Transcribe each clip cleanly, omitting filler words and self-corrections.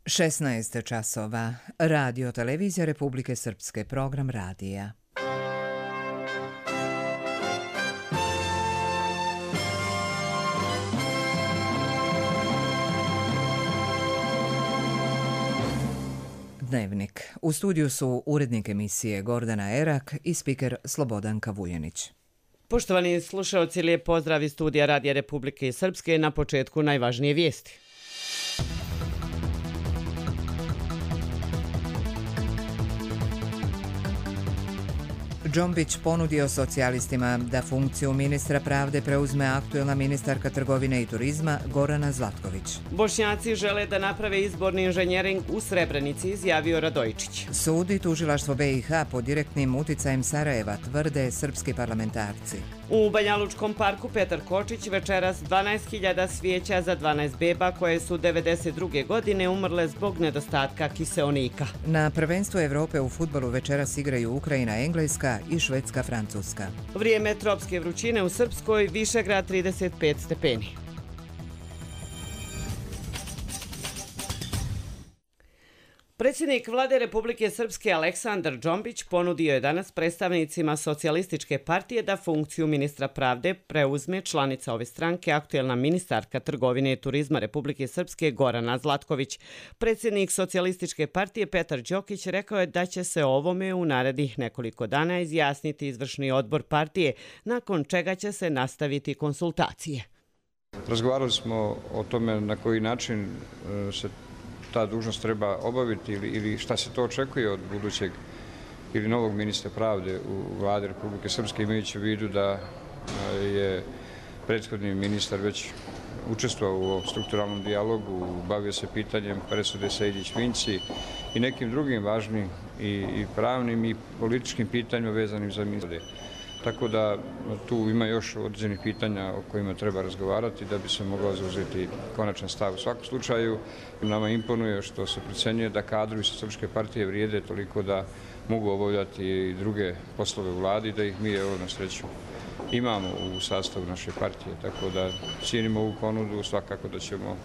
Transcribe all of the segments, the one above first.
16 časova. Radio Televizija Republike Srpske, program radija. Dnevnik. U studiju su urednik emisije Gordana Erak i spiker Slobodanka Vujanić. Poštovani slušalci, lijep pozdrav iz studija Radija Republike Srpske. Na početku najvažnije vijesti. Džombić ponudio socijalistima da funkciju ministra pravde preuzme aktuelna ministarka trgovine i turizma Gorana Zlatković. Bošnjaci žele da naprave izborni inženjering u Srebrenici, izjavio Radojičić. Sud i tužilaštvo BiH pod direktnim uticajem Sarajeva, tvrde srpski parlamentarci. U Banjalučkom parku Petar Kočić večeras 12.000 svijeća za 12 beba koje su 1992. godine umrle zbog nedostatka kiseonika. Na prvenstvu Evrope u fudbalu večeras igraju Ukrajina, Engleska i Švedska, Francuska. Vrijeme tropske vrućine u Srpskoj, Višegrad 35 stepeni. Predsjednik Vlade Republike Srpske Aleksandar Džombić ponudio je danas predstavnicima Socijalističke partije da funkciju ministra pravde preuzme članica ove stranke, aktuelna ministarka trgovine i turizma Republike Srpske Gorana Zlatković. Predsjednik Socijalističke partije Petar Đokić rekao je da će se ovome u narednih nekoliko dana izjasniti izvršni odbor partije, nakon čega će se nastaviti konsultacije. Razgovarali smo o tome na koji način se ta dužnost treba obaviti ili šta se to očekuje od budućeg ili novog ministra pravde u Vladi Republike Srpske, imajući u vidu da je prethodni ministar već učestvovao u ovom strukturalnom dijalogu, bavio se pitanjem presude Sejdić-Vinci i nekim drugim važnim i pravnim i političkim pitanjima vezanim za ministra. Tako da tu ima još određenih pitanja o kojima treba razgovarati da bi se mogao zauzeti konačan stav. U svakom slučaju nama imponuje što se procenjuje da kadrovi Socijalističke partije vrijede toliko da mogu obavljati i druge poslove u vladi, da ih mi evo na sreću imamo u sastavu naše partije. Tako da cijenimo ovu ponudu, svakako da ćemo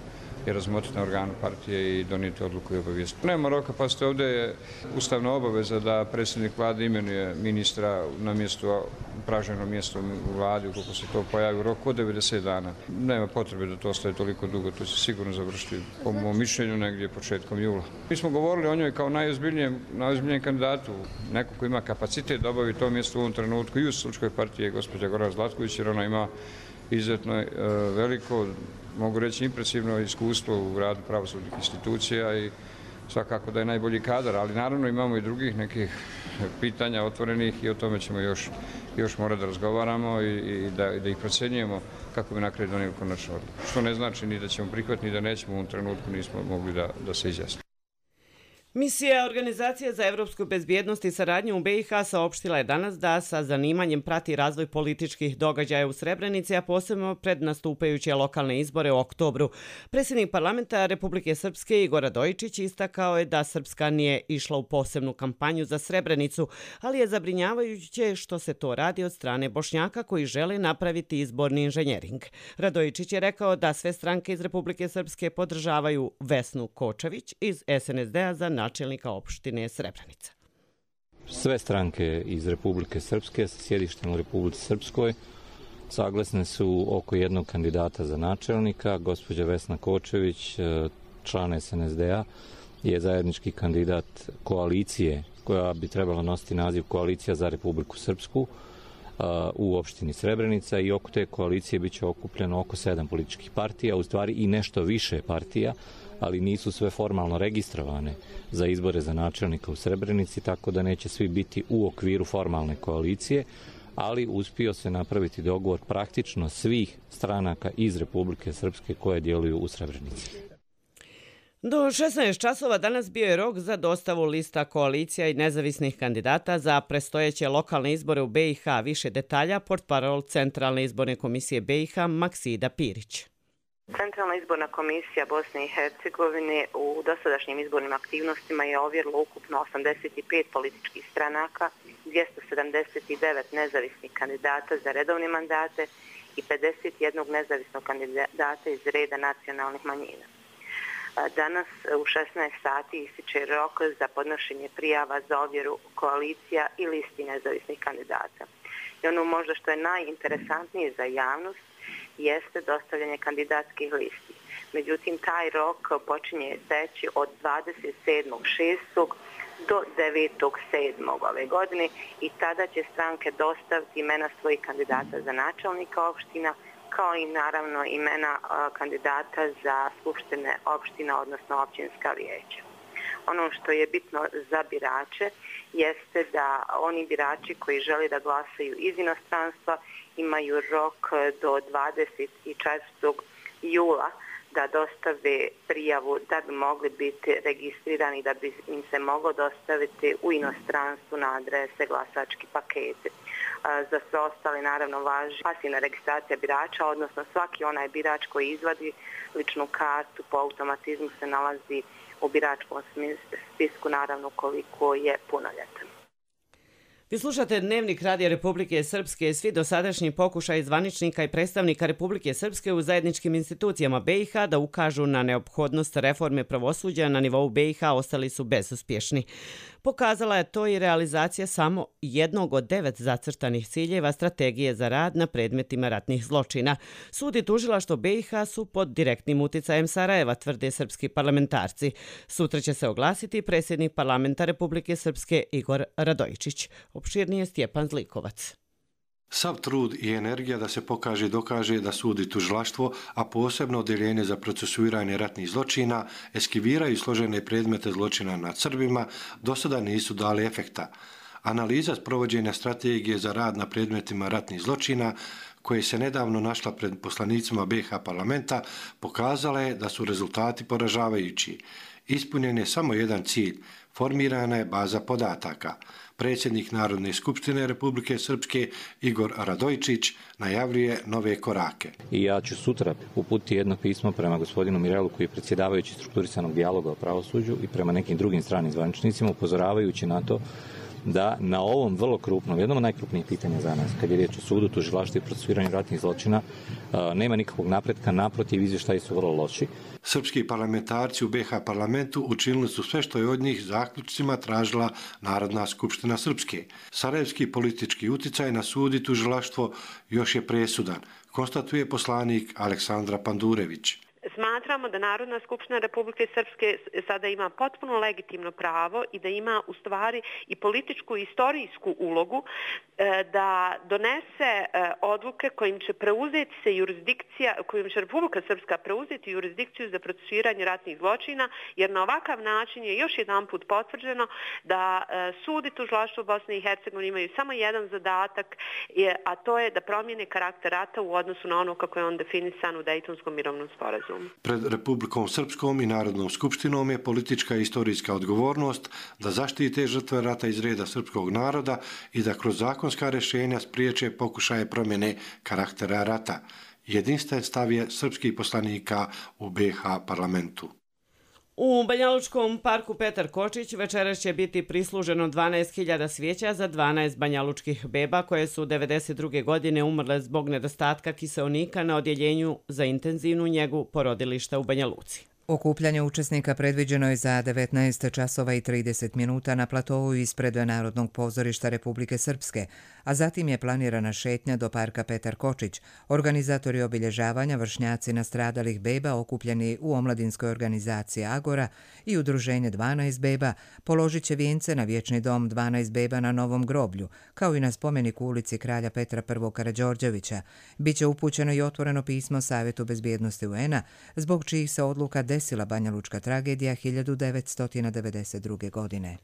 je razmotriti na organu partije i donijeti odluku i obavijesti. Nema roka, pa ste ovdje je ustavna obaveza da predsjednik vlade imenuje ministra na mjesto, upražnjeno mjesto u vladi, ukoliko se to pojavi u roku od 90 dana. Nema potrebe da to ostaje toliko dugo, to će sigurno završiti, po mom mišljenju, negdje početkom jula. Mi smo govorili o njoj kao najozbiljnijem kandidatu, neko ko ima kapacitet da obavi to mjesto u ovom trenutku i u Socijalističkoj partiji gospođa Gorana Zlatković, jer ona ima izuzetno veliko, mogu reći impresivno iskustvo u radu pravosudnih institucija i svakako da je najbolji kadar, ali naravno imamo i drugih nekih pitanja otvorenih i o tome ćemo još morati da razgovaramo i da ih procjenjujemo kako bi na kraju donijeli konačnu odluku. Što ne znači ni da ćemo prihvatiti, ni da nećemo, u ovom trenutku nismo mogli da se izjasnimo. Misija Organizacije za evropsku bezbjednost i saradnju u BiH saopštila je danas da sa zanimanjem prati razvoj političkih događaja u Srebrenici, a posebno pred nastupajuće lokalne izbore u oktobru. Predsjednik parlamenta Republike Srpske Igor Radojičić istakao je da Srpska nije išla u posebnu kampanju za Srebrenicu, ali je zabrinjavajuće što se to radi od strane Bošnjaka koji žele napraviti izborni inženjering. Radojičić je rekao da sve stranke iz Republike Srpske podržavaju Vesnu Kočević iz SNSD-a za načelnika opštine Srebrenica. Sve stranke iz Republike Srpske sa sjedištem u Republici Srpskoj saglasne su oko jednog kandidata za načelnika. Gospođa Vesna Kočević, član SNSD-a, je zajednički kandidat koalicije koja bi trebala nositi naziv Koalicija za Republiku Srpsku u opštini Srebrenica i oko te koalicije biće okupljeno oko 7 političkih partija, u stvari i nešto više partija, ali nisu sve formalno registrovane za izbore za načelnika u Srebrenici, tako da neće svi biti u okviru formalne koalicije, ali uspio se napraviti dogovor praktično svih stranaka iz Republike Srpske koje djeluju u Srebrenici. Do 16 časova danas bio je rok za dostavu lista koalicija i nezavisnih kandidata za predstojeće lokalne izbore u BiH. Više detalja, portparol Centralne izborne komisije BiH Maksida Pirić. Centralna izborna komisija Bosne i Hercegovine u dosadašnjim izbornim aktivnostima je ovjerila ukupno 85 političkih stranaka, 279 nezavisnih kandidata za redovne mandate i 51 nezavisnog kandidata iz reda nacionalnih manjina. Danas u 16 sati ističe rok za podnošenje prijava za ovjeru koalicija i listi nezavisnih kandidata. I ono možda što je najinteresantnije za javnost jeste dostavljanje kandidatskih listi. Međutim, taj rok počinje teći od 27.6. do 9.7. ove godine i tada će stranke dostaviti imena svojih kandidata za načelnika opština, kao i naravno imena kandidata za skupštine opština, odnosno općinska vijeća. Ono što je bitno za birače jeste da oni birači koji žele da glasaju iz inostranstva imaju rok do 24. jula da dostave prijavu da bi mogli biti registrirani, da bi im se moglo dostaviti u inostranstvu na adrese glasački pakete. Za sve ostale naravno važi pasivna registracija birača, odnosno svaki onaj birač koji izvadi ličnu kartu po automatizmu se nalazi u biračkom spisku, naravno koliko je punoljetan. Vi slušate Dnevnik Radija Republike Srpske. Svi dosadašnji pokušaj zvaničnika i predstavnika Republike Srpske u zajedničkim institucijama BiH da ukažu na neophodnost reforme pravosuđa na nivou BiH ostali su bezuspješni. Pokazala je to i realizacija samo jednog od 9 zacrtanih ciljeva strategije za rad na predmetima ratnih zločina. Sud i tužilaštvo BiH su pod direktnim uticajem Sarajeva, tvrde srpski parlamentarci. Sutra će se oglasiti predsjednik parlamenta Republike Srpske Igor Radojičić. Opširnije Stjepan Zlikovac. Sav trud i energija da se pokaže i dokaže da sud i tužilaštvo, a posebno odjeljenje za procesuiranje ratnih zločina, eskiviraju složene predmete zločina nad Srbima, do sada nisu dali efekta. Analiza sprovođenja strategije za rad na predmetima ratnih zločina, koje se nedavno našla pred poslanicima BiH parlamenta, pokazala je da su rezultati poražavajući. Ispunjen je samo jedan cilj, formirana je baza podataka. Predsjednik Narodne skupštine Republike Srpske Igor Radojičić najavljuje nove korake. I ja ću sutra uputiti jedno pismo prema gospodinu Mirelu, koji je predsjedavajući strukturisanog dijaloga o pravosuđu, i prema nekim drugim stranim zvaničnicima, upozoravajući na to da na ovom vrlo krupnom, jednom od najkrupnijih pitanja za nas, kad je riječ o sudu, tužilaštvu i procesuiranju ratnih zločina, nema nikakvog napretka, naprotiv, izvještaji su vrlo loši. Srpski parlamentarci u BiH parlamentu učinili su sve što je od njih zaključcima tražila Narodna skupština Srpske. Sarajevski politički uticaj na sud i tužilaštvo još je presudan, konstatuje poslanik Aleksandra Pandurević. Smatramo da Narodna skupština Republike Srpske sada ima potpuno legitimno pravo i da ima u stvari i političku i istorijsku ulogu da donese odluke kojim će preuzeti se jurisdikcija, kojim će Republika Srpska preuzeti jurisdikciju za procesuiranje ratnih zločina, jer na ovakav način je još jedan put potvrđeno da sud i tužilaštvo Bosne i Hercegovine imaju samo jedan zadatak, a to je da promijene karakter rata u odnosu na ono kako je on definisan u Dejtonskom mirovnom sporazumu. Pred Republikom Srpskom i Narodnom skupštinom je politička i istorijska odgovornost da zaštite žrtve rata iz reda srpskog naroda i da kroz zakonska rješenja spriječe pokušaje promjene karaktera rata. Jedinstven stav je srpskih poslanika u BiH parlamentu. U Banjalučkom parku Petar Kočić večeras će biti prisluženo 12.000 svijeća za 12 banjalučkih beba koje su 1992. godine umrle zbog nedostatka kiseonika na odjeljenju za intenzivnu njegu porodilišta u Banja Luci. Okupljanje učesnika predviđeno je za 19 časova i 30 minuta na platovu ispred Narodnog pozorišta Republike Srpske, a zatim je planirana šetnja do parka Petar Kočić. Organizatori obilježavanja, vršnjaci nastradalih beba okupljeni u omladinskoj organizaciji Agora i udruženje 12 beba položit će vijence na vječni dom 12 beba na Novom groblju, kao i na spomenik u ulici Kralja Petra I. Karađorđevića. Biće upućeno i otvoreno pismo Savjetu bezbjednosti UN-a, zbog čijih se odluka desila banjalučka tragedija 1992. godine.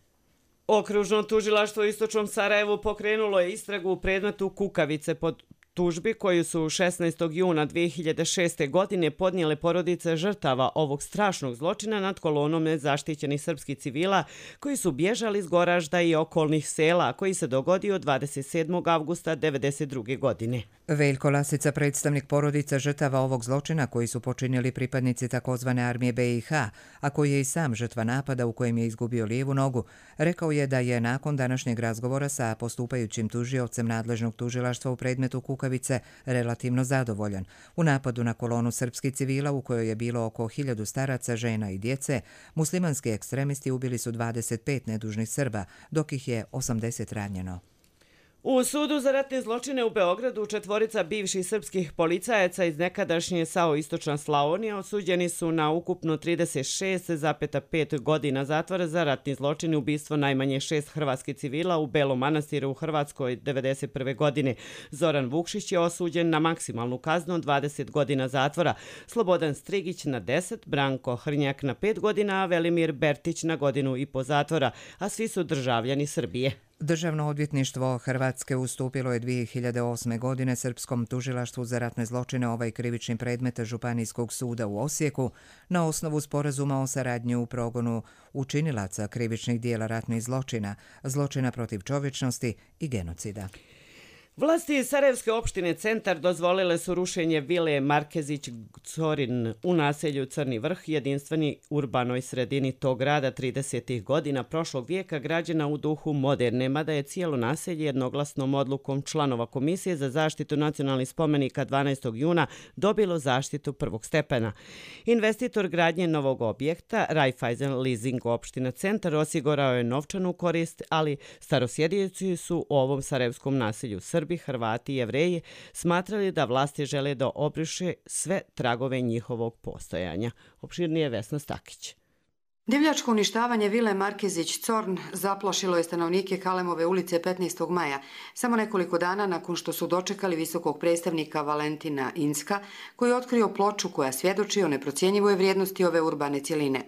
Okružno tužilaštvo u Istočnom Sarajevu pokrenulo je istragu u predmetu Kukavice pod tužbi koju su 16. juna 2006. godine podnijele porodice žrtava ovog strašnog zločina nad kolonom nezaštićenih srpskih civila koji su bježali iz Goražda i okolnih sela, koji se dogodio 27. avgusta 1992. godine. Veljko Lasica, predstavnik porodica žrtava ovog zločina koji su počinili pripadnici takozvane armije BiH, a koji je i sam žrtva napada u kojem je izgubio lijevu nogu, rekao je da je nakon današnjeg razgovora sa postupajućim tužiocem nadležnog tužilaštva u predmetu Kukavice relativno zadovoljan. U napadu na kolonu srpskih civila u kojoj je bilo oko 1000 staraca, žena i djece, muslimanski ekstremisti ubili su 25 nedužnih Srba, dok ih je 80 ranjeno. U sudu za ratne zločine u Beogradu 4 bivših srpskih policajaca iz nekadašnje SAO Istočna Slavonija osuđeni su na ukupno 36,5 godina zatvora za ratni zločin i ubistvo najmanje 6 hrvatskih civila u Belom Manastiru u Hrvatskoj 1991. godine. Zoran Vukšić je osuđen na maksimalnu kaznu od 20 godina zatvora, Slobodan Strigić na 10, Branko Hrnjak na 5 godina, a Velimir Bertić na 1,5 godina zatvora, a svi su državljani Srbije. Državno odvjetništvo Hrvatske ustupilo je 2008. godine Srpskom tužilaštvu za ratne zločine ovaj krivični predmet Županijskog suda u Osijeku na osnovu sporazuma o saradnji u progonu učinilaca krivičnih dijela ratnih zločina, zločina protiv čovječnosti i genocida. Vlasti Sarajevske opštine Centar dozvolile su rušenje vile Markezić-Corin u naselju Crni Vrh, jedinstveni urbanoj sredini tog grada 30. godina prošlog vijeka, građena u duhu moderne, mada je cijelo naselje jednoglasnom odlukom članova Komisije za zaštitu nacionalnih spomenika 12. juna dobilo zaštitu prvog stepena. Investitor gradnje novog objekta, Raiffeisen Leasing opština Centar, osigurao je novčanu korist, ali starosjedioci su u ovom sarajevskom naselju Srbi, Hrvati i Jevreji smatrali da vlasti žele da obriše sve tragove njihovog postojanja. Opširnije Vesna Stakić. Divljačko uništavanje vile Markezić-Corn zaplašilo je stanovnike Kalemove ulice 15. maja, samo nekoliko dana nakon što su dočekali visokog predstavnika Valentina Inska, koji je otkrio ploču koja svjedoči o neprocjenjivoj vrijednosti ove urbane cjeline.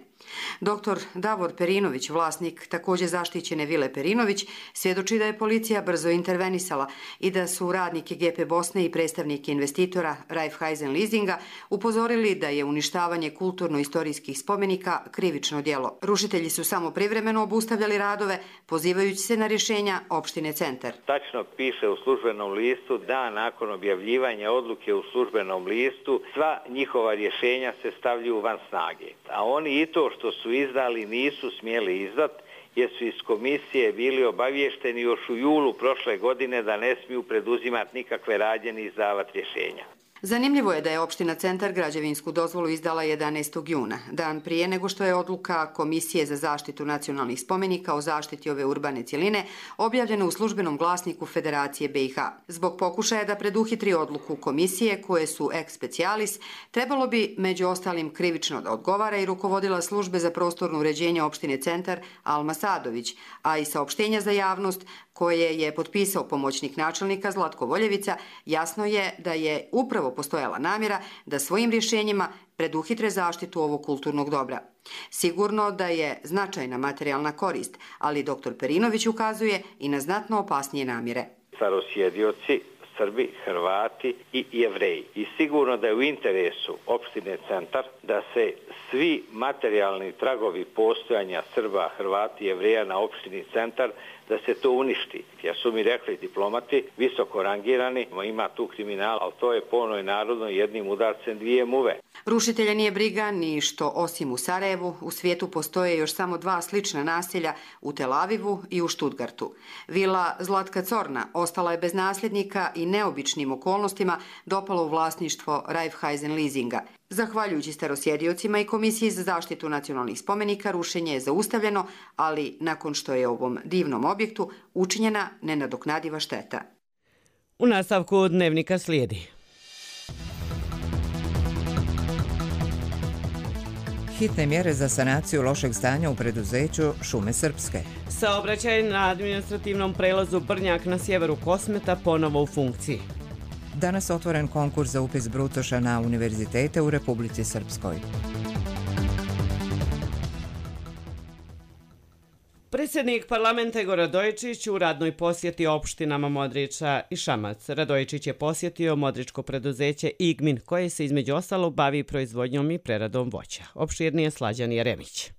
Dr. Davor Perinović, vlasnik također zaštićene vile Perinović, svjedoči da je policija brzo intervenisala i da su radnike GP Bosne i predstavnike investitora Raiffeisen Leasinga upozorili da je uništavanje kulturno-istorijskih spomenika krivično djelo. Rušitelji su samo privremeno obustavljali radove, pozivajući se na rješenja opštine Centar. Tačno piše u službenom listu da nakon objavljivanja odluke u službenom listu sva njihova rješenja se stavljaju van snage. A oni i to što su izdali nisu smjeli izdat, jer su iz komisije bili obavješteni još u julu prošle godine da ne smiju preduzimati nikakve radnje ni izdavati rješenja. Zanimljivo je da je opština Centar građevinsku dozvolu izdala 11. juna, dan prije nego što je odluka Komisije za zaštitu nacionalnih spomenika o zaštiti ove urbane cjeline objavljena u službenom glasniku Federacije BiH. Zbog pokušaja da preduhitri odluku komisije, koje su ex specialis, trebalo bi među ostalim krivično da odgovara i rukovodila službe za prostorno uređenje opštine Centar Alma Sadović, a i saopštenja za javnost koje je potpisao pomoćnik načelnika Zlatko Voljevica, jasno je da je upravo postojala namjera da svojim rješenjima preduhitre zaštitu ovog kulturnog dobra. Sigurno da je značajna materijalna korist, ali dr. Perinović ukazuje i na znatno opasnije namjere. Starosjedioci, Srbi, Hrvati i Jevreji. I sigurno da je u interesu opštine Centar da se svi materijalni tragovi postojanja Srba, Hrvati i Jevreja na opštini Centar, da se to uništi. Ja su mi rekli diplomati, visoko rangirani, ima tu kriminal, ali to je po onoj narodnoj jednim udarcem dvije muve. Rušitelja nije briga ni što osim u Sarajevu, u svijetu postoje još samo 2 slična naselja u Tel Avivu i u Štutgartu. Vila Zlatka Corna ostala je bez nasljednika i neobičnim okolnostima dopala u vlasništvo Raiffeisen Leasinga. Zahvaljujući starosjediocima i Komisiji za zaštitu nacionalnih spomenika, rušenje je zaustavljeno, ali nakon što je ovom divnom objektu učinjena nenadoknadiva šteta. U nastavku dnevnika slijedi. Hitne mjere za sanaciju lošeg stanja u preduzeću Šume Srpske. Saobraćaj na administrativnom prelazu Brnjak na sjeveru Kosmeta ponovo u funkciji. Danas otvoren konkurs za upis brucoša na univerzitete u Republici Srpskoj. Predsjednik parlamenta Igor Radojičić u radnoj posjeti opštinama Modriča i Šamac. Radojičić je posjetio modričko preduzeće Igmin, koje se između ostalog bavi proizvodnjom i preradom voća. Opširnije Slađan Jeremić.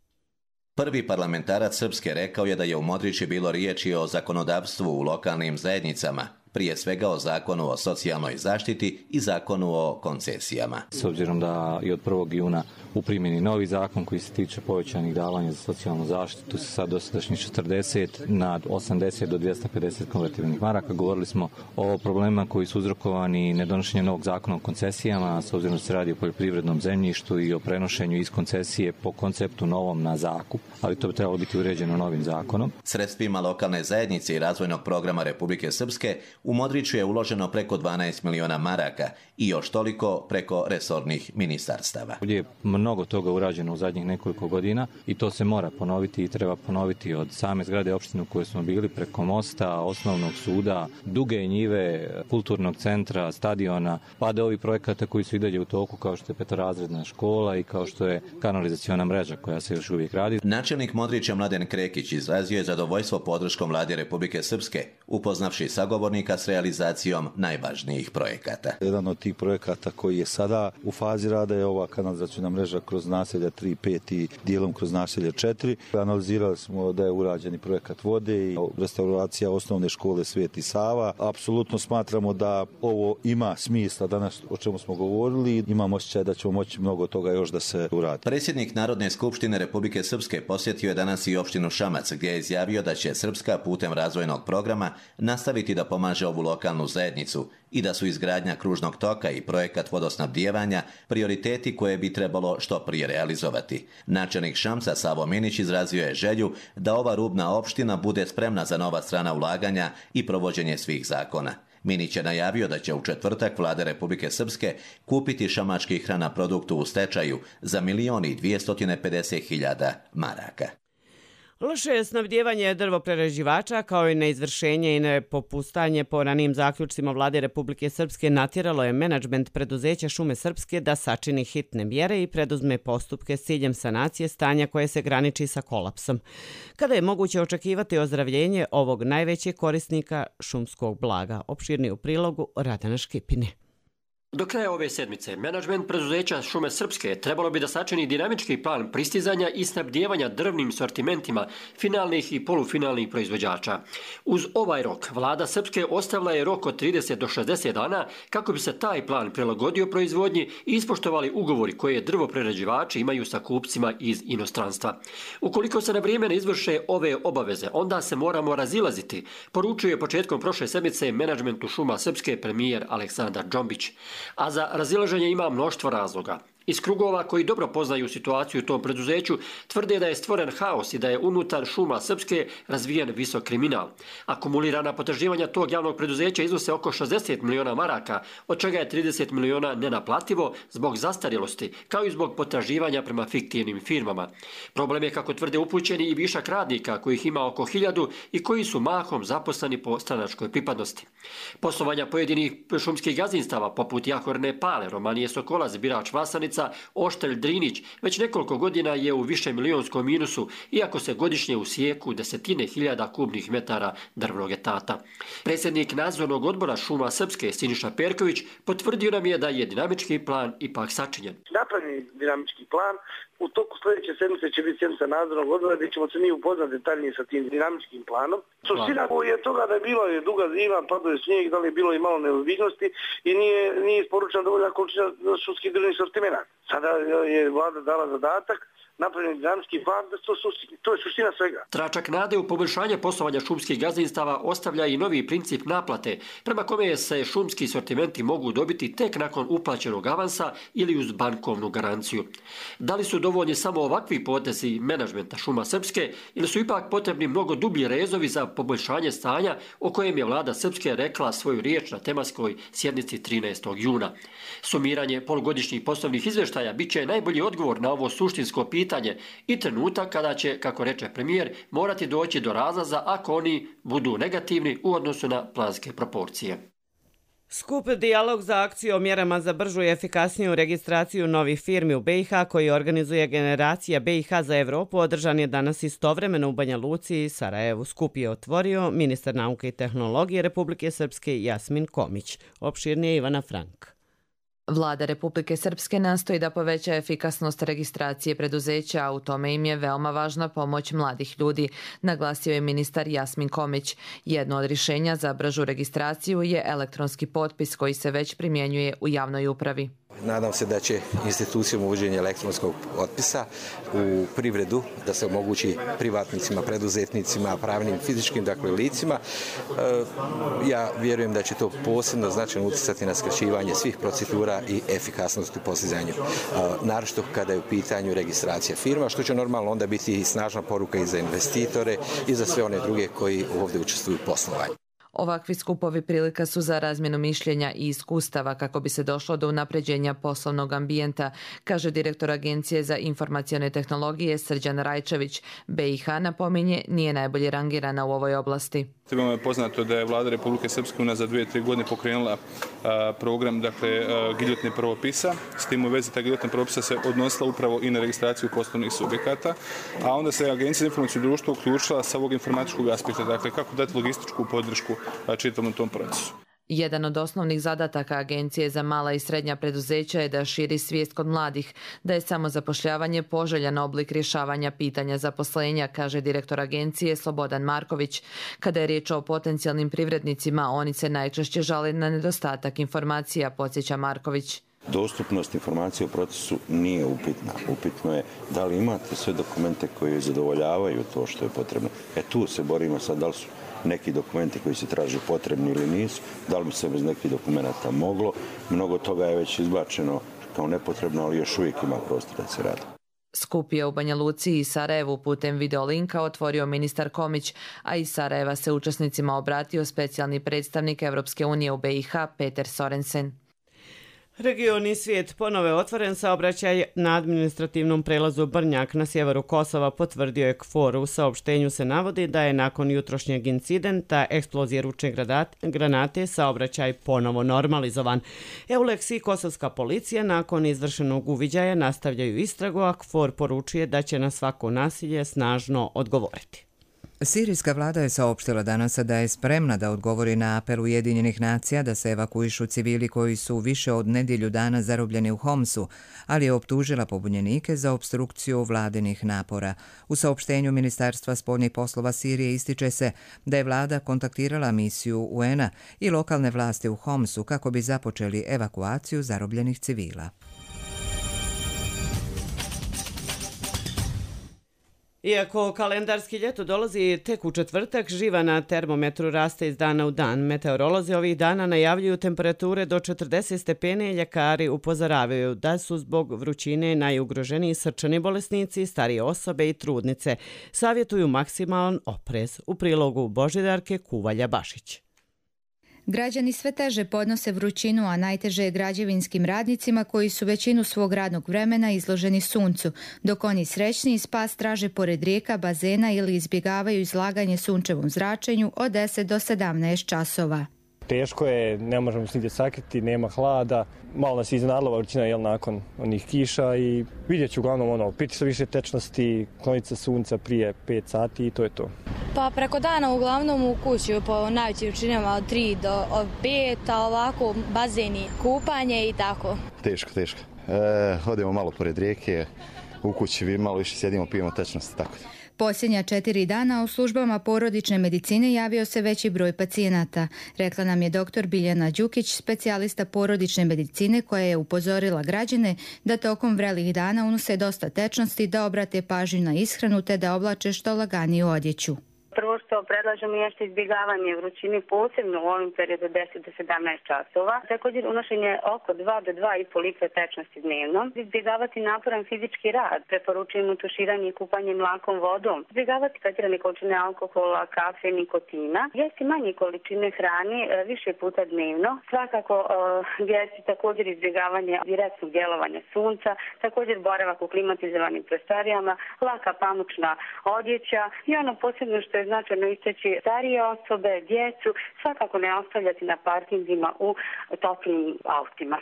Prvi parlamentarac Srpske rekao je da je u Modriči bilo riječi o zakonodavstvu u lokalnim zajednicama, prije svega o zakonu o socijalnoj zaštiti i zakonu o koncesijama. S obzirom da je od 1. juna u primjeni novi zakon koji se tiče povećanih davanja za socijalnu zaštitu sa sad dosadašnjih 40 na 80 do 250 konvertibilnih maraka. Govorili smo o problemima koji su uzrokovani nedonošenjem novog zakona o koncesijama, s obzirom da se radi o poljoprivrednom zemljištu i o prenošenju iz koncesije po konceptu novom na zakup, ali to bi trebalo biti uređeno novim zakonom. Sredstvima lokalne zajednice i razvojnog programa Republike Srpske u Modriću je uloženo preko 12 miliona maraka i još toliko preko resornih ministarstava. Ovdje je mnogo toga urađeno u zadnjih nekoliko godina i to se mora ponoviti i treba ponoviti od same zgrade opštine u kojoj smo bili, preko mosta, osnovnog suda, duge njive, kulturnog centra, stadiona, pa do ovih projekata koji su i dalje u toku, kao što je petorazredna škola i kao što je kanalizaciona mreža koja se još uvijek radi. Načelnik Modrića Mladen Krekić izrazio je zadovoljstvo podrškom Vlade Republike Srpske, upoznavši sagovornika s realizacijom najvažnijih projekata. Jedan od tih projekata koji je sada u fazi rada je ova kanalizaciona mreža kroz naselja 3, 5 i dijelom kroz naselje 4. Analizirali smo da je urađeni projekat vode i restauracija osnovne škole Sveti Sava. Apsolutno smatramo da ovo ima smisla danas o čemu smo govorili i imamo osjećaj da ćemo moći mnogo toga još da se uradi. Predsjednik Narodne skupštine Republike Srpske posjetio je danas i opštinu Šamac, gdje je izjavio da će Srpska putem razvojnog programa nastaviti da pomaže ovu lokalnu zajednicu i da su izgradnja kružnog toka i projekat vodosnabdijevanja prioriteti koje bi trebalo što prije realizovati. Načelnik Šamca Savo Minić izrazio je želju da ova rubna opština bude spremna za nova strana ulaganja i provođenje svih zakona. Minić je najavio da će u četvrtak Vlada Republike Srpske kupiti šamački hranaproduktu u stečaju za 1.250.000 maraka. Loše je snabdijevanje drvoprerađivača kao i neizvršenje i nepopustanje po ranijim zaključcima Vlade Republike Srpske natjeralo je menadžment preduzeća Šume Srpske da sačini hitne mjere i preduzme postupke s ciljem sanacije stanja koje se graniči sa kolapsom. Kada je moguće očekivati ozdravljenje ovog najvećeg korisnika šumskog blaga? Opširni u prilogu Radana Škipine. Do kraja ove sedmice, menadžment preduzeća Šume Srpske trebalo bi da sačini dinamički plan pristizanja i snabdijevanja drvnim sortimentima finalnih i polufinalnih proizvođača. Uz ovaj rok, vlada Srpske ostavila je rok od 30 do 60 dana kako bi se taj plan prilagodio proizvodnji i ispoštovali ugovori koje drvoprerađivači imaju sa kupcima iz inostranstva. Ukoliko se na vrijeme ne izvrše ove obaveze, onda se moramo razilaziti, poručuje početkom prošle sedmice menadžmentu Šuma Srpske premijer Aleksandar Džombić. A za razilaženje ima mnoštvo razloga. Iz krugova koji dobro poznaju situaciju u tom preduzeću tvrde da je stvoren haos i da je unutar Šuma Srpske razvijen visok kriminal. Akumulirana potraživanja tog javnog preduzeća iznose oko 60 miliona maraka, od čega je 30 miliona nenaplativo zbog zastarjelosti, kao i zbog potraživanja prema fiktivnim firmama. Problem je, kako tvrde upućeni, i višak radnika kojih ima oko 1000 i koji su mahom zaposleni po stranačkoj pripadnosti. Poslovanja pojedinih šumskih gazdinstava poput Jahorne Pale, Romanije Sokolac, Birač Vlasanica, Oštelj Drinić već nekoliko godina je u višemilijonskom minusu, iako se godišnje usijeku desetine hiljada kubnih metara drvnog etata. Predsjednik nadzornog odbora Šuma Srpske Siniša Perković potvrdio nam je da je dinamički plan ipak sačinjen. Napravljen dinamički plan. U toku sljedeće sedmice će biti sjednica nadzornog odbora gdje ćemo se mi upoznati detaljnije sa tim dinamičkim planom. Suština je toga da je bilo duga zima, padao je snijeg, da li je bilo i malo neozbiljnosti i nije isporučena dovoljna količina šumskih drvnih sortimenata. Sada je vlada dala zadatak, napravljen dinamički plan, to je suština svega. Tračak nade u poboljšanje poslovanja šumskih gazdinstava ostavlja i novi princip naplate, prema kome se šumski sortimenti mogu dobiti tek nakon uplaćenog avansa ili uz bankovnu garanciju. Da li su dovoljni samo ovakvi potezi menadžmenta Šuma Srpske ili su ipak potrebni mnogo dublji rezovi za poboljšanje stanja o kojem je vlada Srpske rekla svoju riječ na tematskoj sjednici 13. juna. Sumiranje polugodišnjih poslovnih izvještaja bit će najbolji odgovor na ovo suštinsko pitanje i trenutak kada će, kako reče premijer, morati doći do razlaza ako oni budu negativni u odnosu na planske proporcije. Skup Dijalog za akciju o mjerama za bržu i efikasniju registraciju novih firmi u BiH koji organizuje Generacija BiH za Evropu održan je danas istovremeno u Banja Luci i Sarajevu. Skup je otvorio ministar nauke i tehnologije Republike Srpske Jasmin Komić. Opširnije Ivana Frank. Vlada Republike Srpske nastoji da poveća efikasnost registracije preduzeća, a u tome im je veoma važna pomoć mladih ljudi, naglasio je ministar Jasmin Komić. Jedno od rješenja za bržu registraciju je elektronski potpis koji se već primjenjuje u javnoj upravi. Nadam se da će institucijom uvođenja elektronskog potpisa u privredu da se omogući privatnicima, preduzetnicima, pravnim i fizičkim licima. Ja vjerujem da će to posebno značajno utjecati na skraćivanje svih procedura i efikasnost u postizanju. Naročito kada je u pitanju registracija firma, što će normalno onda biti i snažna poruka i za investitore i za sve one druge koji ovdje učestvuju u poslovanju. Ovakvi skupovi prilika su za razmjenu mišljenja i iskustava kako bi se došlo do unapređenja poslovnog ambijenta, kaže direktor Agencije za informacione tehnologije Srđan Rajčević. BiH, napominje, nije najbolje rangirana u ovoj oblasti. Svima je poznato da je Vlada Republike Srpske unazad 2-3 godine pokrenula program giljotine pravopisa. S tim u vezi ta giljotina pravopisa se odnosila upravo i na registraciju poslovnih subjekata, a onda se Agencija za informacijsko društvo uključila sa ovog informatičkog aspekta, dakle kako dati logističku podršku čitavom tom procesu. Jedan od osnovnih zadataka Agencije za mala i srednja preduzeća je da širi svijest kod mladih, da je samozapošljavanje poželjan oblik rješavanja pitanja zaposlenja, kaže direktor Agencije Slobodan Marković. Kada je riječ o potencijalnim privrednicima, oni se najčešće žale na nedostatak informacija, podsjeća Marković. Dostupnost informacije o procesu nije upitna. Upitno je da li imate sve dokumente koji zadovoljavaju to što je potrebno. Tu se borimo sad, da li su neki dokumenti koji se traže potrebni ili nisu, da li bi se bez nekih dokumenta moglo. Mnogo toga je već izbačeno kao nepotrebno, ali još uvijek ima prostor da se radi. Skup je u Banja Luci i Sarajevu putem videolinka otvorio ministar Komić, a iz Sarajeva se učesnicima obratio specijalni predstavnik Evropske unije u BiH Peter Sorensen. Region i svijet ponovo je otvoren saobraćaj na administrativnom prelazu Brnjak na sjeveru Kosova, potvrdio je KFOR. U saopštenju se navodi da je nakon jutrošnjeg incidenta eksplozije ručne granate saobraćaj ponovo normalizovan. EULEX i kosovska policija nakon izvršenog uviđaja nastavljaju istragu, a KFOR poručuje da će na svako nasilje snažno odgovoriti. Sirijska vlada je saopštila danas da je spremna da odgovori na apel Ujedinjenih nacija da se evakuišu civili koji su više od nedjelju dana zarobljeni u Homsu, ali je optužila pobunjenike za opstrukciju vladinih napora. U saopštenju Ministarstva spoljnih poslova Sirije ističe se da je vlada kontaktirala misiju UN-a i lokalne vlasti u Homsu kako bi započeli evakuaciju zarobljenih civila. Iako kalendarski ljeto dolazi tek u četvrtak, živa na termometru raste iz dana u dan. Meteorolozi ovih dana najavljuju temperature do 40 stepeni i ljekari upozoravaju da su zbog vrućine najugroženiji srčani bolesnici, starije osobe i trudnice. Savjetuju maksimalan oprez. U prilogu Božidarke Kuvalja-Bašić. Građani sve teže podnose vrućinu, a najteže je građevinskim radnicima koji su većinu svog radnog vremena izloženi suncu, dok oni srećniji spas traže pored rijeka, bazena ili izbjegavaju izlaganje sunčevom zračenju od 10 do 17 časova. Teško je, ne možemo se nigdje sakriti, nema hlada. Malo nas je iznenadila vrućina nakon onih kiša i vidjet ću uglavnom piti se više tečnosti, kloniti se sunca prije 5 sati i to je to. Pa preko dana uglavnom u kući po najvećim vrućinama od 3 do 5, a ovako bazeni, kupanje i tako. Teško. Odemo malo pored rijeke, u kući malo više sjedimo, pijemo tečnosti, tako da. Posljednja 4 dana u službama porodične medicine javio se veći broj pacijenata. Rekla nam je dr. Biljana Đukić, specijalista porodične medicine, koja je upozorila građane da tokom vrelih dana unose dosta tečnosti, da obrate pažnju na ishranu te da oblače što laganiju odjeću. Prvo što predlažemo jeste izbjegavanje vrućine, posebno u ovim periodu 10 do 17 časova. Također unošenje oko 2 do 2,5 litre tečnosti dnevno. Izbjegavati naporan fizički rad. Preporučujemo tuširanje i kupanje mlakom vodom. Izbjegavati pretjerane količine alkohola, kafe, nikotina. Jesti manje količine hrane više puta dnevno. Svakako jesti također izbjegavanje direktnog djelovanja sunca. Također boravak u klimatizovanim prostorijama, laka pamučna odjeća i ono posebno što je značajno istaći starije osobe, djecu, svakako ne ostavljati na parkingima u toplim autima.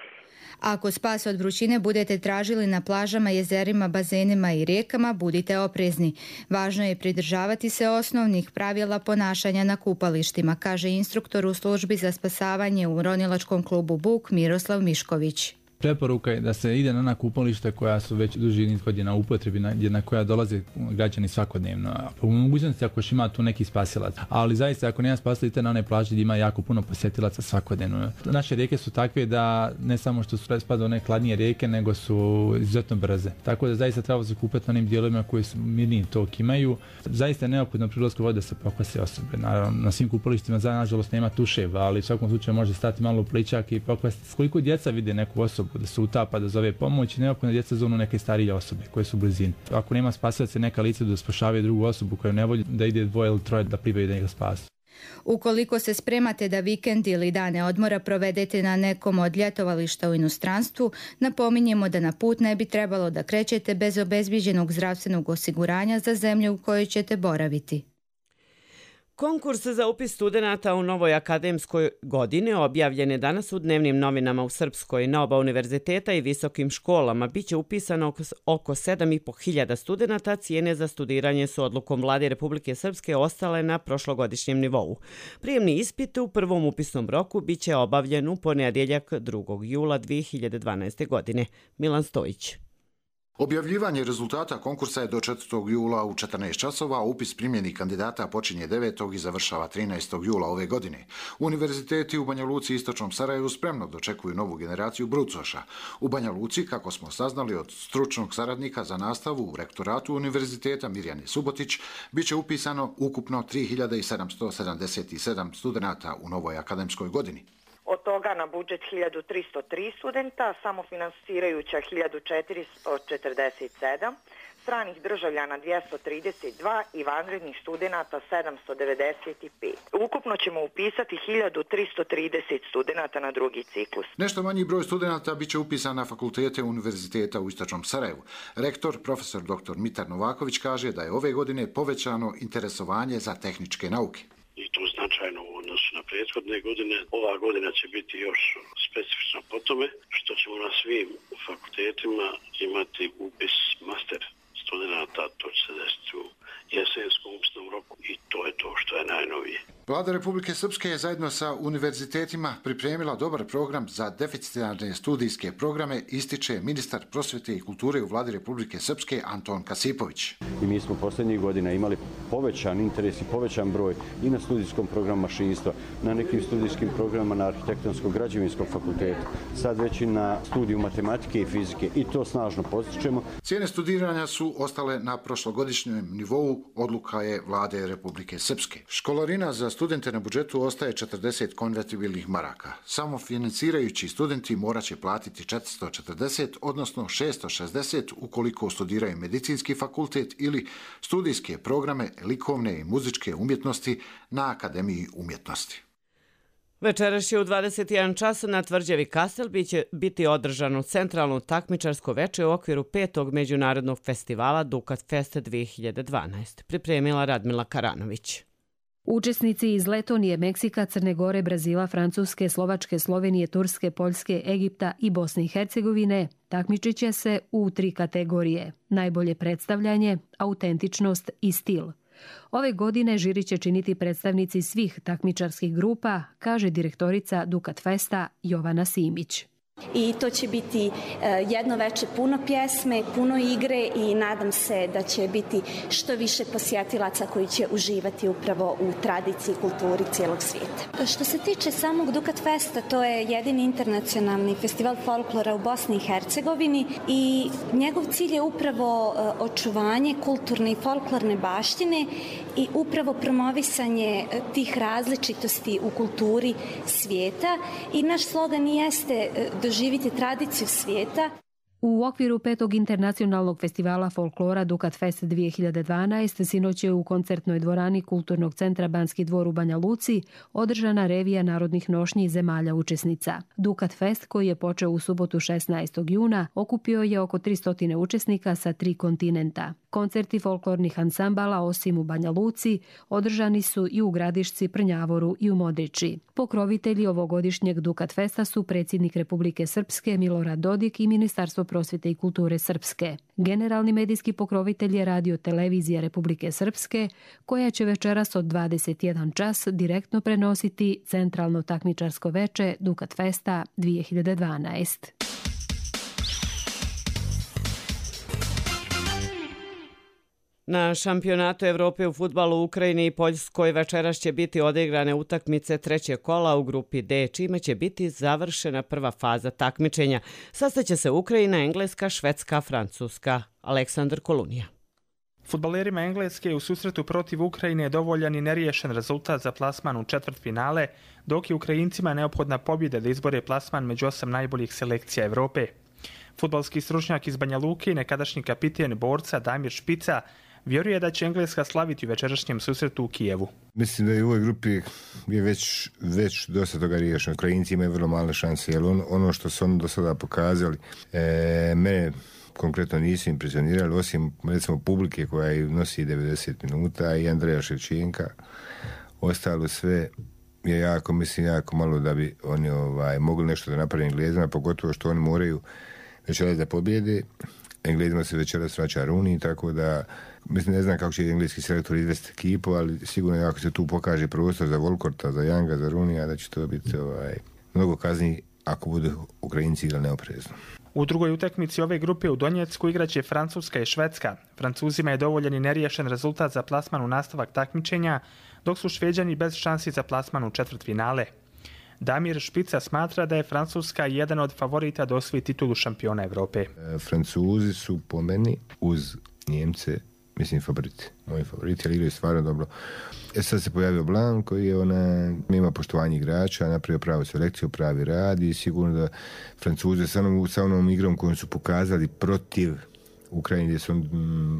Ako spas od vrućine budete tražili na plažama, jezerima, bazenima i rijekama, budite oprezni. Važno je pridržavati se osnovnih pravila ponašanja na kupalištima, kaže instruktor u službi za spasavanje u ronilačkom klubu Buk Miroslav Mišković. Preporuka je da se ide na ona kupališta koja su već duži niz godina u upotrebi, na koja dolaze građani svakodnevno. Po mogućnosti ako još ima tu neki spasilac. Ali zaista ako nema spasilaca na one plaže gdje ima jako puno posjetilaca svakodnevno. Naše rijeke su takve da ne samo što su spada one hladnije rijeke, nego su izuzetno brze. Tako da zaista treba se kupati na onim dijelovima koji su mirniji tok imaju. Zaista je neophodno pri ulasku vode da se pokvase osobe. Naravno, na svim kupalištima nažalost nema tuševa, ali u svakom slučaju može stati malo u pličak i pokvasiti. Koliko djeca vide neku osobu da se utapa, da zove pomoć, neophodno djeca zovnu neke starije osobe koje su u blizini. Ako nema spasilaca, neka lica da spašavaju drugu osobu koju ne volji, da ide dvoje ili troje da plivaju da njega spasu. Ukoliko se spremate da vikend ili dane odmora provedete na nekom od ljetovališta u inostranstvu, napominjemo da na put ne bi trebalo da krećete bez obezbijeđenog zdravstvenog osiguranja za zemlju u kojoj ćete boraviti. Konkurs za upis studenata u novoj akademskoj godini objavljen je danas u dnevnim novinama u Srpskoj. Na oba univerziteta i visokim školama biće upisano oko 7.500 studenata. Cijene za studiranje su odlukom Vlade Republike Srpske ostale na prošlogodišnjem nivou. Prijemni ispit u prvom upisnom roku biće obavljen u ponedjeljak 2. jula 2012. godine. Milan Stojić. Objavljivanje rezultata konkursa je do 4. jula u 14 časova, a upis primljenih kandidata počinje 9. i završava 13. jula ove godine. Univerziteti u Banja Luci i Istočnom Sarajevu spremno dočekuju novu generaciju brucoša. U Banja Luci, kako smo saznali od stručnog saradnika za nastavu u rektoratu univerziteta Mirjane Subotić, biće upisano ukupno 3.777 studenata u novoj akademskoj godini. Od toga na budžet 1303 studenta, samofinansirajuća 1447, stranih državljana 232 i vanrednih studenata 795. Ukupno ćemo upisati 1330 studenata na drugi ciklus. Nešto manji broj studenata biće upisan na fakultete univerziteta u Istočnom Sarajevu. Rektor, profesor dr. Mitar Novaković, kaže da je ove godine povećano interesovanje za tehničke nauke. I to značajno u odnosu na prethodne godine. Ova godina će biti još specifična po tome što ćemo na svim fakultetima imati upis master studenata, to će se desiti u jesenskom upisnom roku i to je to što je najnovije. Vlada Republike Srpske je zajedno sa univerzitetima pripremila dobar program za deficitarne studijske programe, ističe ministar prosvjete i kulture u Vladi Republike Srpske Anton Kasipović. I mi smo posljednjih godina imali povećan interes i povećan broj i na studijskom programu mašinstva, na nekim studijskim programama na arhitektonsko-građevinskom fakultetu, sad već i na studiju matematike i fizike i to snažno postičemo. Cijene studiranja su ostale na prošlogodišnjem nivou, odluka je Vlade Republike Srpske. Školarina za studente na budžetu ostaje 40 konvertibilnih maraka. Samo financirajući studenti morat će platiti 440, odnosno 660 ukoliko studiraju medicinski fakultet ili studijske programe likovne i muzičke umjetnosti na Akademiji umjetnosti. Večeras će u 21 čas na tvrđavi Kastel biti održano centralno takmičarsko veče u okviru 5. međunarodnog festivala Dukat Fest 2012. Pripremila Radmila Karanović. Učesnici iz Letonije, Meksika, Crne Gore, Brazila, Francuske, Slovačke, Slovenije, Turske, Poljske, Egipta i Bosne i Hercegovine takmičit će se u 3 kategorije: najbolje predstavljanje, autentičnost i stil. Ove godine žiri će činiti predstavnici svih takmičarskih grupa, kaže direktorica Dukat Festa Jovana Simić. I to će biti jedno veče puno pjesme, puno igre i nadam se da će biti što više posjetilaca koji će uživati upravo u tradiciji i kulturi cijelog svijeta. Što se tiče samog Dukat Festa, to je jedini internacionalni festival folklora u Bosni i Hercegovini i njegov cilj je upravo očuvanje kulturne i folklorne baštine i upravo promovisanje tih različitosti u kulturi svijeta i naš slogan jeste doživjeti tradiciju svijeta. U okviru 5. internacionalnog festivala folklora Dukat Fest 2012 sinoć je u koncertnoj dvorani Kulturnog centra Banski dvor u Banja Luci održana revija narodnih nošnji zemalja učesnica. Dukat Fest, koji je počeo u subotu 16. juna, okupio je oko 300 učesnika sa 3 kontinenta. Koncerti folklornih ansambala, osim u Banja Luci, održani su i u Gradišci, Prnjavoru i u Modriči. Pokrovitelji ovogodišnjeg Dukat Festa su predsjednik Republike Srpske Milorad Dodik i Ministarstvo prosvjete i kulture Srpske. Generalni medijski pokrovitelj je Radio Televizija Republike Srpske, koja će večeras od 21 čas direktno prenositi centralno takmičarsko veče Dukat Festa 2012. Na šampionatu Evrope u fudbalu u Ukrajini i Poljskoj večeras će biti odigrane utakmice trećeg kola u grupi D, čime će biti završena prva faza takmičenja. Sastaće se Ukrajina, Engleska, Švedska, Francuska. Aleksandar Kolunija. Fudbalerima Engleske u susretu protiv Ukrajine je dovoljan i neriješen rezultat za plasman u četvrtfinale, dok je Ukrajincima neophodna pobjeda da izbore plasman među 8 najboljih selekcija Evrope. Fudbalski stručnjak iz Banja Luke i nekadašnji kapiten borca Damir Špica vjeruje da će Engleska slaviti u večerašnjem susretu u Kijevu. Mislim da je u ovoj grupi je već dosta toga riješeno. Ukrajinci imaju vrlo male šanse, jer ono što su oni do sada pokazali, mene konkretno nisu impresionirali, osim recimo publike koja nosi 90 minuta i Andreja Ševčenka. Ostalo sve je jako malo da bi oni mogli nešto da napravi Englezima, pogotovo što oni moraju večeras da pobjede. Englezima se večeras vraća Rooney, tako da mislim, ne znam kako će engleski selektor izvesti ekipu, ali sigurno ako se tu pokaže prostor za Volkorta, za Younga, za Roonija, da će to biti mnogo kazni ako budu Ukrajinci igrali neoprezno. U drugoj utakmici ove grupe u Donjecku igraće Francuska i Švedska. Francuzima je dovoljan i neriješen rezultat za plasman u nastavak takmičenja, dok su Šveđani bez šansi za plasman u četvrtfinale. Damir Špica smatra da je Francuska jedan od favorita da osvoji titulu šampiona Evrope. Francuzi su po meni uz Njemce, mislim, favoriti. Moji favoriti, ali igraju stvarno dobro. Sad se pojavio Blanc koji ima poštovanje igrača, napravio pravu selekciju, pravi rad i sigurno da Francuze sa onom igrom kojom su pokazali protiv Ukrajine, gdje su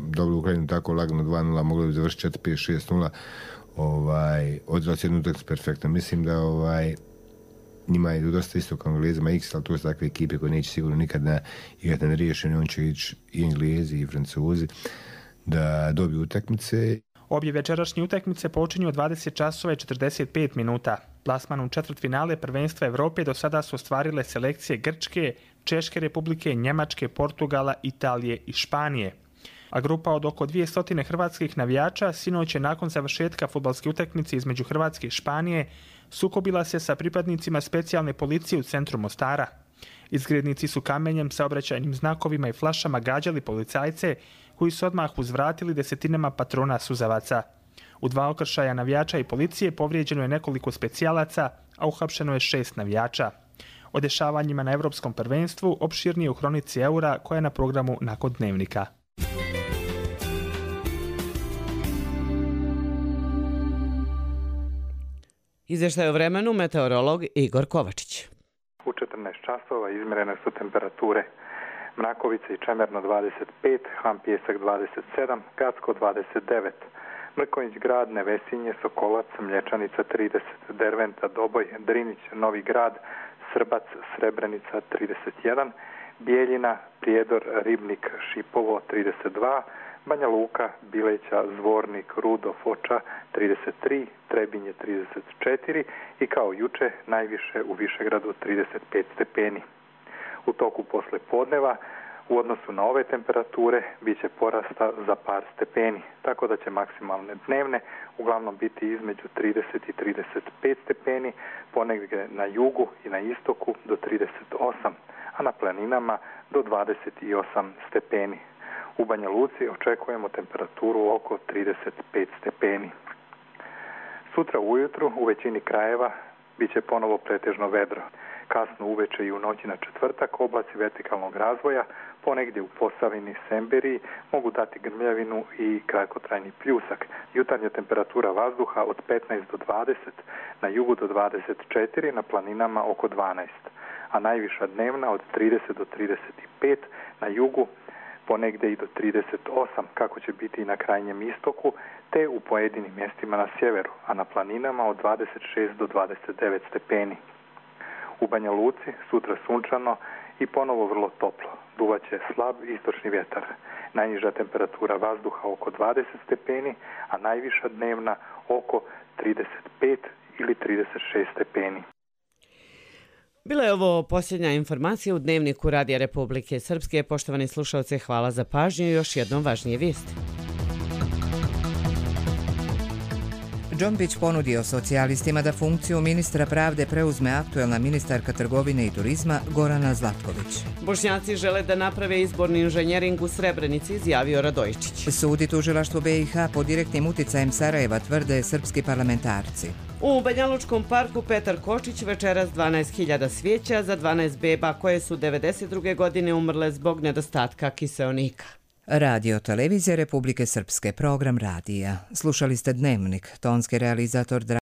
dobili Ukrajinu tako lagano 2-0, mogli bi završiti 4-5-6-0, odrali se jednu utakmicu perfektno. Mislim da njima je dosta isto kao Englezima X, ali to su takve ekipe koje neće sigurno nikad igrati na neriješeni, on će ići i Englezi i Francuzi da dobiju utakmice. Obje večerašnje utakmice počinju od 20 časova i 45 minuta. Plasman u četvrtfinale prvenstva Evrope do sada su ostvarile selekcije Grčke, Češke republike, Njemačke, Portugala, Italije i Španije. A grupa od oko 200 hrvatskih navijača sinoć je nakon završetka fudbalske utakmice između Hrvatske i Španije sukobila se sa pripadnicima specijalne policije u centru Mostara. Izgrednici su kamenjem, saobraćajnim znakovima i flašama gađali policajce koji su odmah uzvratili desetinama patrona suzavaca. U 2 okršaja navijača i policije povrijeđeno je nekoliko specijalaca, a uhapšeno je 6 navijača. O dešavanjima na Evropskom prvenstvu opširnije u Hronici Eura koja je na programu nakon Dnevnika. Izvještaj o vremenu meteorolog Igor Kovačić. U 14 časova izmjerene su temperature Mrakovica i Čemerno 25, Han Pijesak 27, Gacko 29, Mrkonjić Grad, Nevesinje, Sokolac, Mlječanica 30, Derventa, Doboj, Drinić, Novi Grad, Srbac, Srebrenica 31, Bijeljina, Prijedor, Ribnik, Šipovo 32, Banja Luka, Bileća, Zvornik, Rudo, Foča 33, Trebinje 34 i kao juče najviše u Višegradu 35 stepeni. U toku posle podneva u odnosu na ove temperature bit će porasta za par stepeni, tako da će maksimalne dnevne uglavnom biti između 30 i 35 stepeni, ponegdje na jugu i na istoku do 38, a na planinama do 28 stepeni. U Banja Luci očekujemo temperaturu oko 35 stepeni. Sutra ujutru u većini krajeva bit će ponovo pretežno vedro. Kasno uveče i u noći na četvrtak oblaci vertikalnog razvoja, ponegdje u Posavini, Semberiji mogu dati grmljavinu i kratkotrajni pljusak. Jutarnja temperatura vazduha od 15 do 20, na jugu do 24, na planinama oko 12, a najviša dnevna od 30 do 35, na jugu ponegdje i do 38, kako će biti i na krajnjem istoku, te u pojedinim mjestima na sjeveru, a na planinama od 26 do 29 stepeni. U Banja Luci sutra sunčano i ponovo vrlo toplo. Duvaće slab istočni vjetar. Najniža temperatura vazduha oko 20 stepeni, a najviša dnevna oko 35 ili 36 stepeni. Bila je ovo posljednja informacija u Dnevniku Radija Republike Srpske. Poštovani slušalci, hvala za pažnju i još jednom važnije vijesti. Džombić ponudio socijalistima da funkciju ministra pravde preuzme aktuelna ministarka trgovine i turizma Gorana Zlatković. Bošnjaci žele da naprave izborni inženjering u Srebrenici, izjavio Radojičić. Sud i tužilaštvo BiH pod direktnim uticajem Sarajeva tvrde srpski parlamentarci. U Banjalučkom parku Petar Kočić večeras 12.000 svijeća za 12 beba koje su 92. godine umrle zbog nedostatka kiseonika. Radio Televizija Republike Srpske, program radija. Slušali ste Dnevnik, tonski realizator